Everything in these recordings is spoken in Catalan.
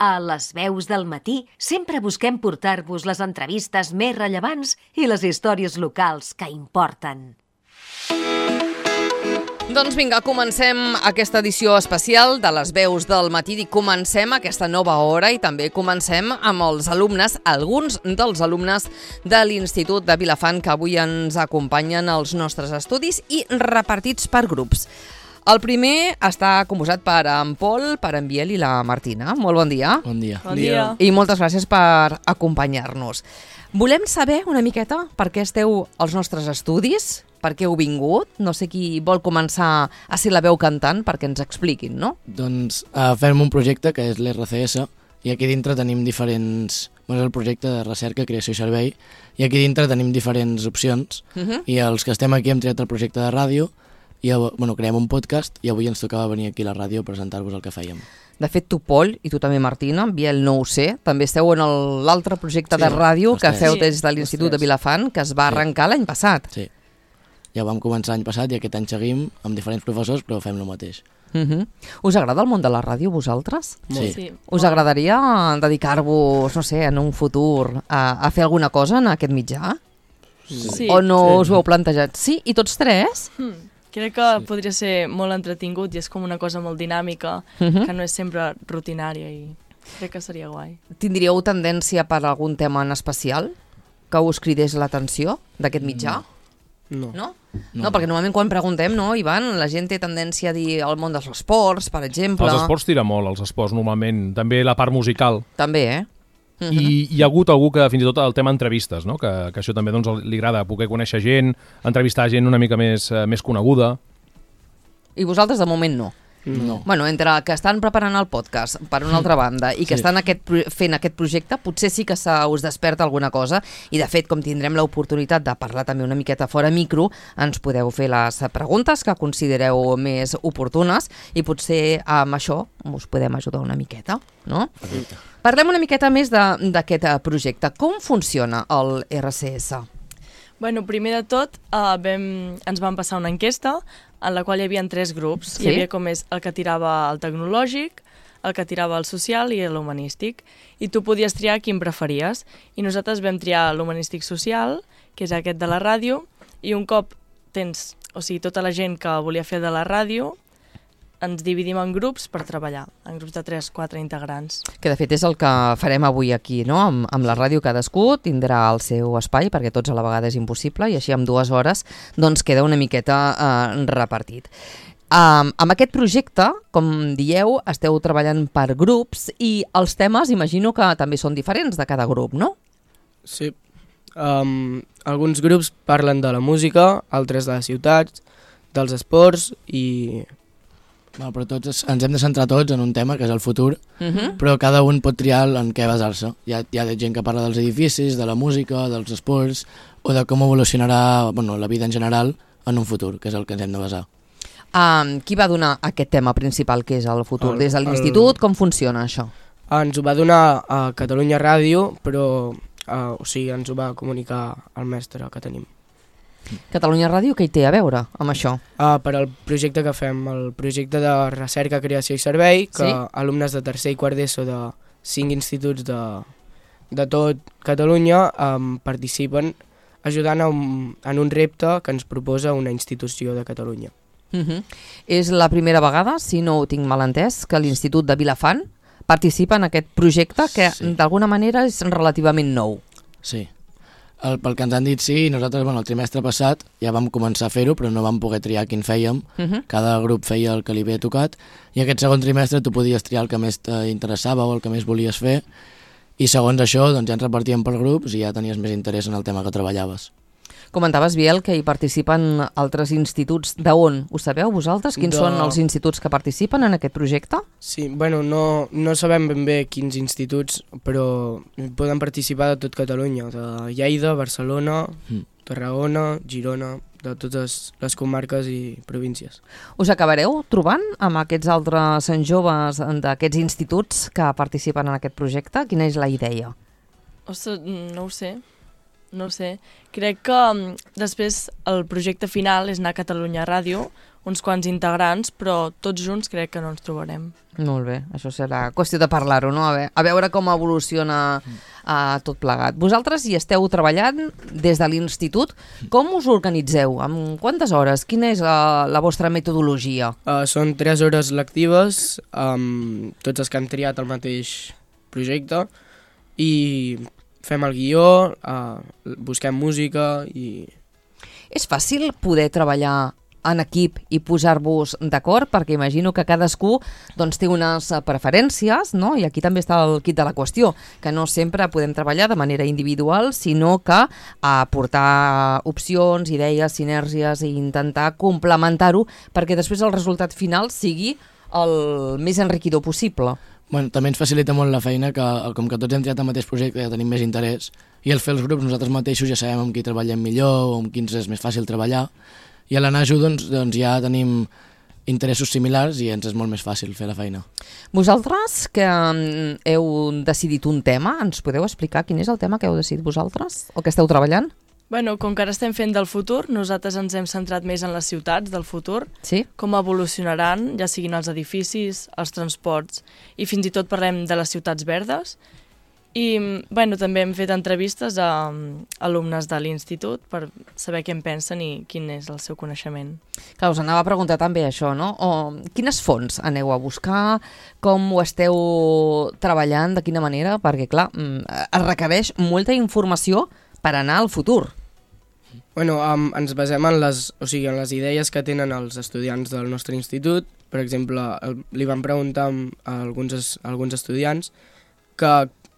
A Les Veus del Matí sempre busquem portar-vos les entrevistes més rellevants i les històries locals que importen. Doncs vinga, comencem aquesta edició especial de Les Veus del Matí i comencem aquesta nova hora i també comencem amb els alumnes, alguns dels alumnes de l'Institut de Vilafant que avui ens acompanyen als nostres estudis i repartits per grups. El primer està composat per en Pol, per en Biel i la Martina. Molt bon dia. Bon dia. Bon dia. I moltes gràcies per acompanyar-nos. Volem saber una miqueta per què esteu als nostres estudis, per què heu vingut. No sé qui vol començar a ser la veu cantant perquè ens expliquin, no? Doncs fem un projecte que és l'RCS i aquí dintre tenim diferents... És el projecte de recerca, creació i servei i aquí dintre tenim diferents opcions i els que estem aquí hem triat el projecte de ràdio i creem un podcast i avui ens tocava venir aquí a la ràdio a presentar-vos el que fèiem. De fet, tu, Pol, i tu també, Martina, Biel no ho sé, també esteu en l'altre projecte de ràdio que feu des de l'Institut de Vilafant, que es va arrencar l'any passat. Sí, ja vam començar l'any passat i aquest any seguim amb diferents professors, però fem el mateix. Us agrada el món de la ràdio, vosaltres? Sí. Us agradaria dedicar-vos, no sé, en un futur a fer alguna cosa en aquest mitjà? Sí. O no us ho heu plantejat? Sí? I tots tres? Crec que podria ser molt entretingut i és com una cosa molt dinàmica, que no és sempre rutinària i crec que seria guai. Tindríeu tendència per algun tema en especial que us cridés l'atenció d'aquest mitjà? No. No? No, perquè normalment quan preguntem, no, Ivan, la gent té tendència a dir el món dels esports, per exemple. Els esports tira molt, els esports normalment. També la part musical. També, I hi ha hagut algú que fins i tot el tema entrevistes, no? que això també doncs, li agrada poder conèixer gent, entrevistar gent una mica més coneguda. I vosaltres de moment no? No. Bueno, entre que estan preparant el podcast per una altra banda i que estan fent aquest projecte, potser sí que us desperta alguna cosa i de fet, com tindrem l'oportunitat de parlar també una miqueta fora micro, ens podeu fer les preguntes que considereu més oportunes i potser amb això us podem ajudar una miqueta, no? Perfecte. Parlem una miqueta més d'aquest projecte. Com funciona el RCS? Bueno, primer de tot ens van passar una enquesta en la qual hi havia 3 grups. Sí? Hi havia com és el que tirava el tecnològic, el que tirava el social i l'humanístic. I tu podies triar quin preferies. I nosaltres vam triar l'humanístic social, que és aquest de la ràdio, i un cop tens, tota la gent que volia fer de la ràdio, ens dividim en grups per treballar, en grups de 3-4 integrants. Que de fet és el que farem avui aquí, no? Amb la ràdio cadascú tindrà el seu espai, perquè tots a la vegada és impossible, i així en 2 hores doncs queda una miqueta repartit. Amb aquest projecte, com dieu, esteu treballant per grups i els temes imagino que també són diferents de cada grup, no? Sí. Alguns grups parlen de la música, altres de les ciutats, dels esports i... Però tots ens hem de centrar tots en un tema que és el futur, però cada un pot triar en què basar-se. Hi ha gent que parla dels edificis, de la música, dels esports o de com evolucionarà la vida en general en un futur, que és el que ens hem de basar. Qui va donar aquest tema principal que és el futur? Des de l'institut, com funciona això? Ens ho va donar a Catalunya Ràdio, però ens ho va comunicar el mestre que tenim. Catalunya Ràdio, què hi té a veure amb això? Per al projecte que fem, el projecte de recerca, creació i servei, que alumnes de tercer i quart d'ESO de 5 instituts de tot Catalunya participen ajudant en un repte que ens proposa una institució de Catalunya. És la primera vegada, si no ho tinc mal entès, que l'Institut de Vilafant participa en aquest projecte que d'alguna manera és relativament nou. Sí. Pel que ens han dit sí, nosaltres el trimestre passat ja vam començar a fer-ho, però no vam poder triar quin fèiem. Cada grup feia el que li havia tocat i aquest segon trimestre tu podies triar el que més t'interessava o el que més volies fer i segons això ja ens repartíem per grups i ja tenies més interès en el tema que treballaves. Comentaves, Biel, que hi participen altres instituts. D'on? Ho sabeu vosaltres? Quins són els instituts que participen en aquest projecte? Sí, no sabem ben bé quins instituts, però poden participar de tot Catalunya, de Lleida, Barcelona, Tarragona, Girona, de totes les comarques i províncies. Us acabareu trobant amb aquests altres joves d'aquests instituts que participen en aquest projecte? Quina és la idea? Ostres, no ho sé. No sé, crec que després el projecte final és anar a Catalunya Ràdio, uns quants integrants, però tots junts crec que no ens trobarem. Molt bé, això serà qüestió de parlar-ho, no? A veure com evoluciona tot plegat. Vosaltres hi esteu treballant des de l'institut. Com us organitzeu? Amb quantes hores? Quina és la vostra metodologia? Són 3 hores lectives, tots els que han triat el mateix projecte, i fem el guió, busquem música i... És fàcil poder treballar en equip i posar-vos d'acord, perquè imagino que cadascú doncs, té unes preferències, no? I aquí també està el quid de la qüestió, que no sempre podem treballar de manera individual, sinó que aportar opcions, idees, sinergies i intentar complementar-ho perquè després el resultat final sigui el més enriquidor possible. Bueno, també ens facilita molt la feina que, com que tots hem triat el mateix projecte, ja tenim més interès, i al fer els grups nosaltres mateixos ja sabem amb qui treballem millor o amb qui ens és més fàcil treballar, i a l'anar-ho doncs ja tenim interessos similars i ens és molt més fàcil fer la feina. Vosaltres que heu decidit un tema, ens podeu explicar quin és el tema que heu decidit vosaltres o que esteu treballant? Bueno, com que ara estem fent del futur, nosaltres ens hem centrat més en les ciutats del futur, Sí? com evolucionaran, ja siguin els edificis, els transports, i fins i tot parlem de les ciutats verdes. I bueno, també hem fet entrevistes a alumnes de l'institut per saber què en pensen i quin és el seu coneixement. Clar, us anava a preguntar també això, no? Quines fonts aneu a buscar? Com ho esteu treballant? De quina manera? Perquè, clar, es requereix molta informació per anar al futur. Bueno, ens basem en en les idees que tenen els estudiants del nostre institut. Per exemple, li vam preguntar a alguns estudiants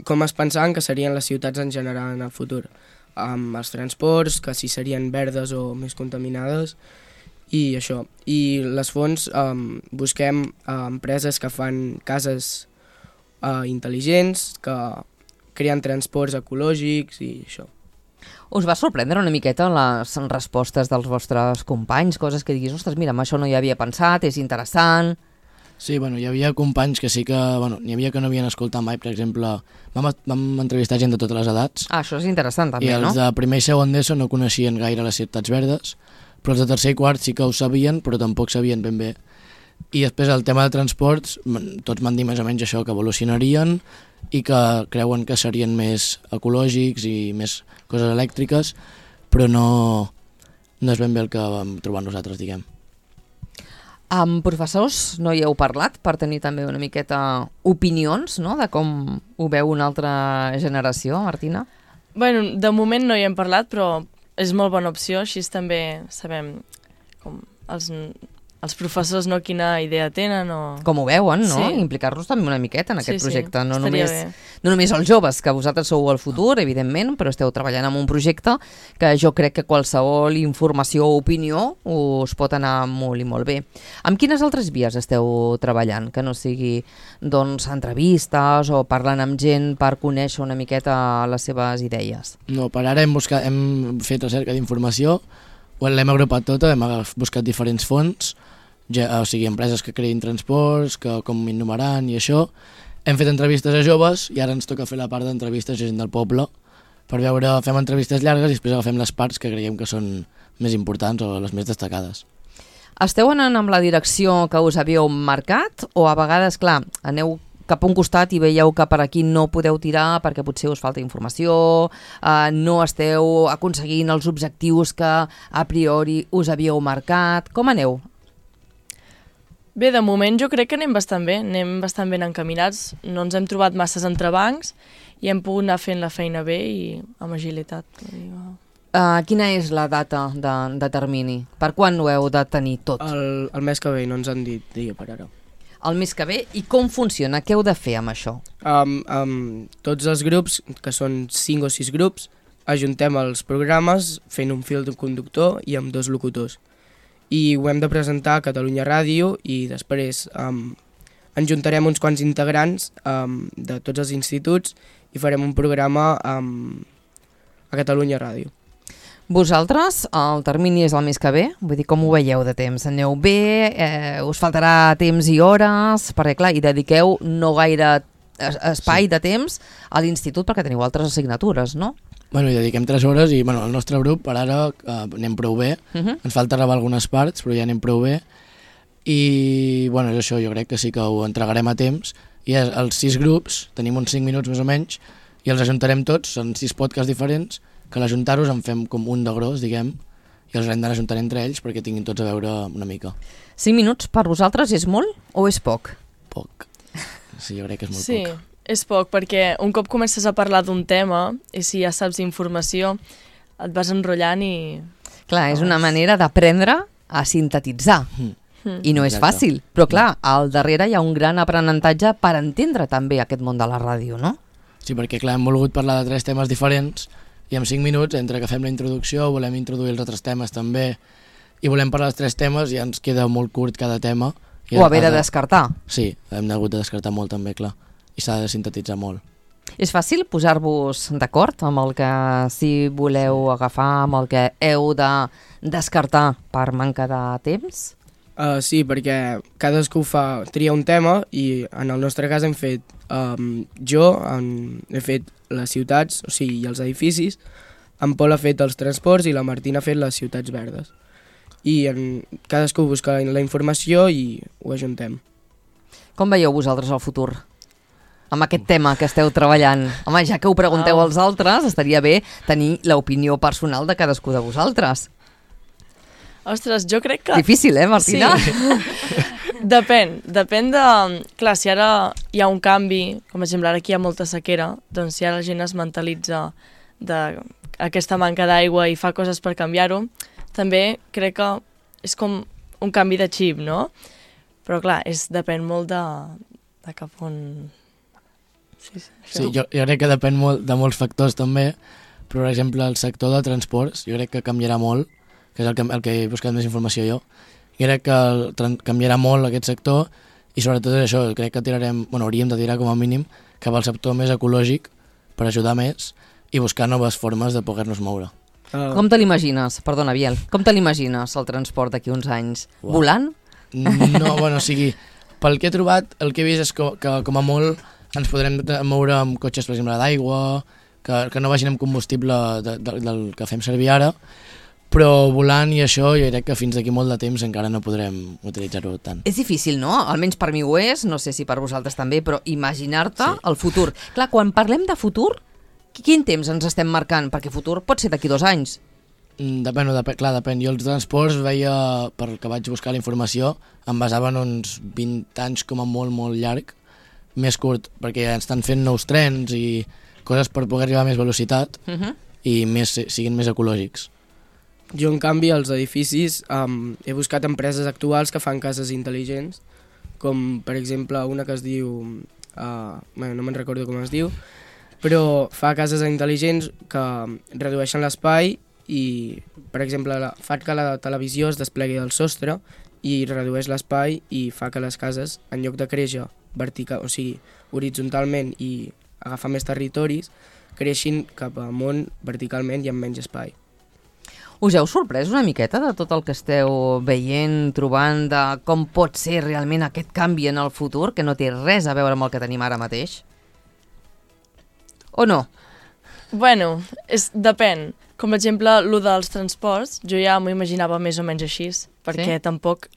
com es pensaven que serien les ciutats en general en el futur, amb els transports, que si serien verdes o més contaminades, i això. I les fonts, busquem empreses que fan cases intel·ligents, que creen transports ecològics i això. Us va sorprendre una miqueta les respostes dels vostres companys, coses que diguis, ostres, mira, amb això no hi havia pensat, és interessant... Sí, bueno, hi havia companys que sí que... Bueno, n'hi havia que no havien escoltat mai, per exemple, vam entrevistar gent de totes les edats. Això és interessant també, no? I els de primer i segon d'ESO no coneixien gaire les ciutats verdes, però els de tercer i quart sí que ho sabien, però tampoc sabien ben bé. I després el tema de transports, tots m'han dit més o menys això, que evolucionarien i que creuen que serien més ecològics i més coses elèctriques, però no és ben bé el que vam trobar nosaltres, diguem. Amb professors no hi heu parlat per tenir també una miqueta opinions, no?, de com ho veu una altra generació, Martina? Bueno, de moment no hi hem parlat, però és molt bona opció, així també sabem com els professors no quina idea tenen o... Com ho veuen, no? Sí. Implicar-los també una miqueta en aquest projecte. Sí, no només els joves, que vosaltres sou el futur, evidentment, però esteu treballant en un projecte que jo crec que qualsevol informació o opinió us pot anar molt i molt bé. Amb quines altres vies esteu treballant? Que no sigui, doncs, entrevistes o parlant amb gent per conèixer una miqueta les seves idees? No, per ara hem fet recerca d'informació, l'hem agrupat tota, hem buscat diferents fonts, o sigui, empreses que creïn transports, que com innovaran i això. Hem fet entrevistes a joves i ara ens toca fer la part d'entrevistes a gent del poble per veure, fem entrevistes llargues i després agafem les parts que creiem que són més importants o les més destacades. Esteu anant amb la direcció que us havíeu marcat o a vegades, clar, aneu cap a un costat i veieu que per aquí no podeu tirar perquè potser us falta informació, no esteu aconseguint els objectius que a priori us havíeu marcat? Com aneu? Bé, de moment jo crec que anem bastant ben encaminats, no ens hem trobat masses entrebancs i hem pogut anar fent la feina bé i amb agilitat. Quina és la data de termini? Per quan ho heu de tenir tot? El mes que ve, no ens han dit dia per ara. El mes que ve, i com funciona? Què heu de fer amb això? Tots els grups, que són 5 o 6 grups, ajuntem els programes fent un fil conductor i amb 2 locutors. I ho hem de presentar a Catalunya Ràdio i després ens juntarem uns quants integrants de tots els instituts i farem un programa a Catalunya Ràdio. Vosaltres, el termini és el mes que ve? Vull dir, com ho veieu de temps? Aneu bé? Us faltarà temps i hores? Perquè, clar, hi dediqueu no gaire espai de temps a l'institut perquè teniu altres assignatures, no? Bueno, hi dediquem 3 hores i el nostre grup per ara anem prou bé. Ens falta rebar algunes parts, però ja anem prou bé. I bueno, és això, jo crec que sí que ho entregarem a temps. I els 6 grups, tenim uns 5 minuts més o menys, i els ajuntarem tots, són 6 podcasts diferents, que a l'ajuntar-los en fem com un de gros, diguem, i els hem d'ajuntar entre ells perquè tinguin tots a veure una mica. 5 minuts per vosaltres és molt o és poc? Poc. Sí, jo crec que és molt Sí, poc. és poc, perquè un cop comences a parlar d'un tema, i si ja saps informació, et vas enrotllant i... Clar, és una manera d'aprendre a sintetitzar. I no és Exacte. fàcil, però clar, al darrere hi ha un gran aprenentatge per entendre també aquest món de la ràdio, no? Sí, perquè clar, hem volgut parlar de 3 temes diferents i en 5 minuts, entre que fem la introducció, volem introduir els altres temes també i volem parlar dels 3 temes i ens queda molt curt cada tema. I O haver de descartar. Sí, hem hagut de descartar molt també, clar, i s'ha de sintetitzar molt. És fàcil posar-vos d'acord amb el que si voleu agafar, amb el que heu de descartar per manca de temps? Sí, perquè cadascú tria un tema i en el nostre cas hem fet, he fet les ciutats, o sigui, i els edificis, en Pol ha fet els transports i la Martina ha fet les ciutats verdes. I cadascú busca la informació i ho ajuntem. Com veieu vosaltres el futur? Amb aquest tema que esteu treballant. Home, ja que ho pregunteu als altres, estaria bé tenir l'opinió personal de cadascú de vosaltres. Ostres, jo crec que... Difícil, Martina? Sí. Depèn de... Clar, si ara hi ha un canvi, com per exemple ara aquí hi ha molta sequera, doncs si ara la gent es mentalitza d'aquesta manca d'aigua i fa coses per canviar-ho, també crec que és com un canvi de xip, no? Però clar, depèn molt de cap on... Sí, jo crec que depèn molt de molts factors també, però per exemple el sector de transports jo crec que canviarà molt, que és el que he buscat més informació jo. I crec que canviarà molt aquest sector i sobretot és això, crec que hauríem de tirar com a mínim cap al sector més ecològic per ajudar més i buscar noves formes de poder-nos moure. Com te l'imagines? Perdona, Biel. Com te l'imagines el transport d'aquí uns anys? Uau. Volant? No, bueno, o sigui, pel que he trobat, el que he vist és que com a molt ens podrem moure amb cotxes, per exemple, d'aigua, que no vagin amb combustible del que fem servir ara, però volant i això jo crec que fins d'aquí molt de temps encara no podrem utilitzar-ho tant. És difícil, no? Almenys per mi ho és, no sé si per vosaltres també, però imaginar-te el futur. Clar, quan parlem de futur, quin temps ens estem marcant? Perquè futur pot ser d'aquí 2 anys. Depèn. Jo els transports veia, per que vaig buscar la informació, em basava en uns 20 anys com a molt, molt llarg, més curt, perquè estan fent nous trens i coses per poder arribar a més velocitat i siguin més ecològics. Jo, en canvi, als edificis he buscat empreses actuals que fan cases intel·ligents, com, per exemple, una que es diu... no me'n recordo com es diu, però fa cases intel·ligents que redueixen l'espai i, per exemple, fa que la televisió es desplegui del sostre i redueix l'espai i fa que les cases, en lloc de créixer horitzontalment i agafar més territoris, creixin cap amunt verticalment i amb menys espai. Us heu sorprès una miqueta de tot el que esteu veient, trobant, de com pot ser realment aquest canvi en el futur, que no té res a veure amb el que tenim ara mateix? O no? Bueno, depèn. Com per exemple, el dels transports, jo ja m'ho imaginava més o menys així, perquè tampoc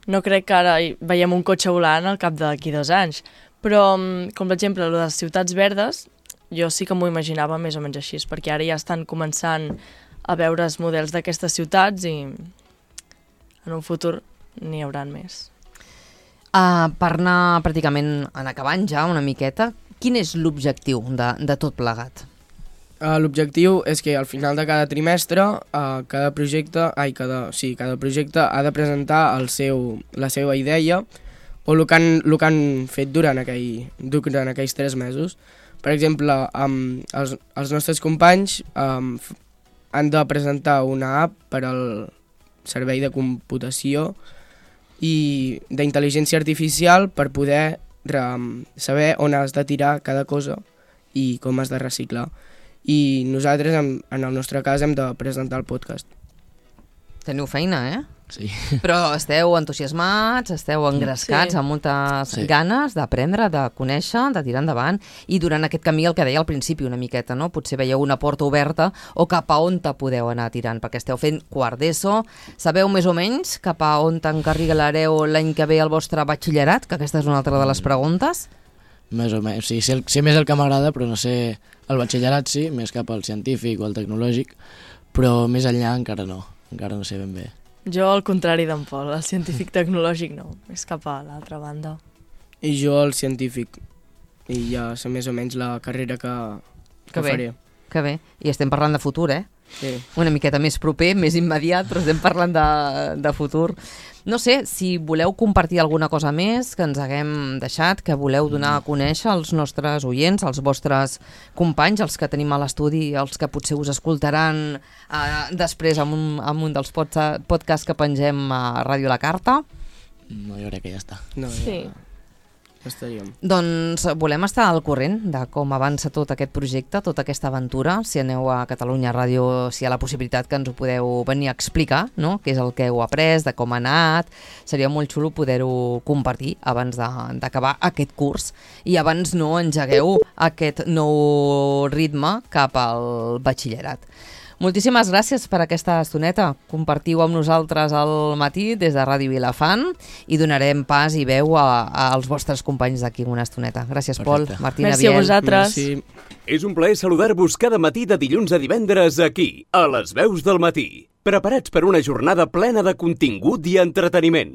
no crec que ara veiem un cotxe volant al cap d'aquí 2 anys. Però, com per exemple, el de les ciutats verdes, jo sí que m'ho imaginava més o menys així, perquè ara ja estan començant a veure els models d'aquestes ciutats i en un futur n'hi haurà més. Per anar pràcticament acabant ja una miqueta, quin és l'objectiu de tot plegat? L'objectiu és que al final de cada trimestre cada projecte ha de presentar la seva idea o el que han fet durant aquells 3 mesos. Per exemple, els nostres companys han de presentar una app per al servei de computació i d'intel·ligència artificial per poder saber on has de tirar cada cosa i com has de reciclar. I nosaltres, en el nostre cas, hem de presentar el podcast. Teniu feina, eh? Sí. Però esteu entusiasmats, esteu engrescats, Sí. amb moltes Sí. ganes d'aprendre, de conèixer, de tirar endavant, i durant aquest camí, el que deia al principi una miqueta, no? Potser veieu una porta oberta o cap a on te podeu anar tirant, perquè esteu fent quart d'ESO, sabeu més o menys cap a on t'encarrilareu l'any que ve el vostre batxillerat, que aquesta és una altra de les preguntes? Més o menys. Sí, sé més el que m'agrada, però no sé... El batxillerat sí, més cap al científic o al tecnològic, però més enllà encara no sé ben bé. Jo, al contrari d'en Pol, el científic tecnològic no, és cap a l'altra banda. I jo el científic. I ja sé més o menys la carrera que bé. faré. Que bé. I estem parlant de futur, eh? Sí. Una miqueta més proper, més immediat, però estem parlant de futur. No sé, si voleu compartir alguna cosa més que ens haguem deixat, que voleu donar a conèixer als nostres oients, als vostres companys, els que tenim a l'estudi, els que potser us escoltaran després amb un dels podcasts que pengem a Ràdio La Carta. No, jo crec que ja està. No, Sí. ja estaríem. Doncs volem estar al corrent de com avança tot aquest projecte, tota aquesta aventura. Si aneu a Catalunya Ràdio, si hi ha la possibilitat que ens ho podeu venir a explicar, no? Què és el que heu après, de com ha anat. Seria molt xulo poder-ho compartir abans d'acabar aquest curs i abans no engegueu aquest nou ritme cap al batxillerat. Moltíssimes gràcies per aquesta estoneta. Compartiu amb nosaltres al matí des de Ràdio Vilafant i donarem pas i veu als vostres companys d'aquí una estoneta. Gràcies, Pol, Perfecte. Martina, Merci a Biel. vosaltres. Merci. És un plaer saludar-vos cada matí de dilluns a divendres aquí, a les Veus del Matí. Preparats per una jornada plena de contingut i entreteniment.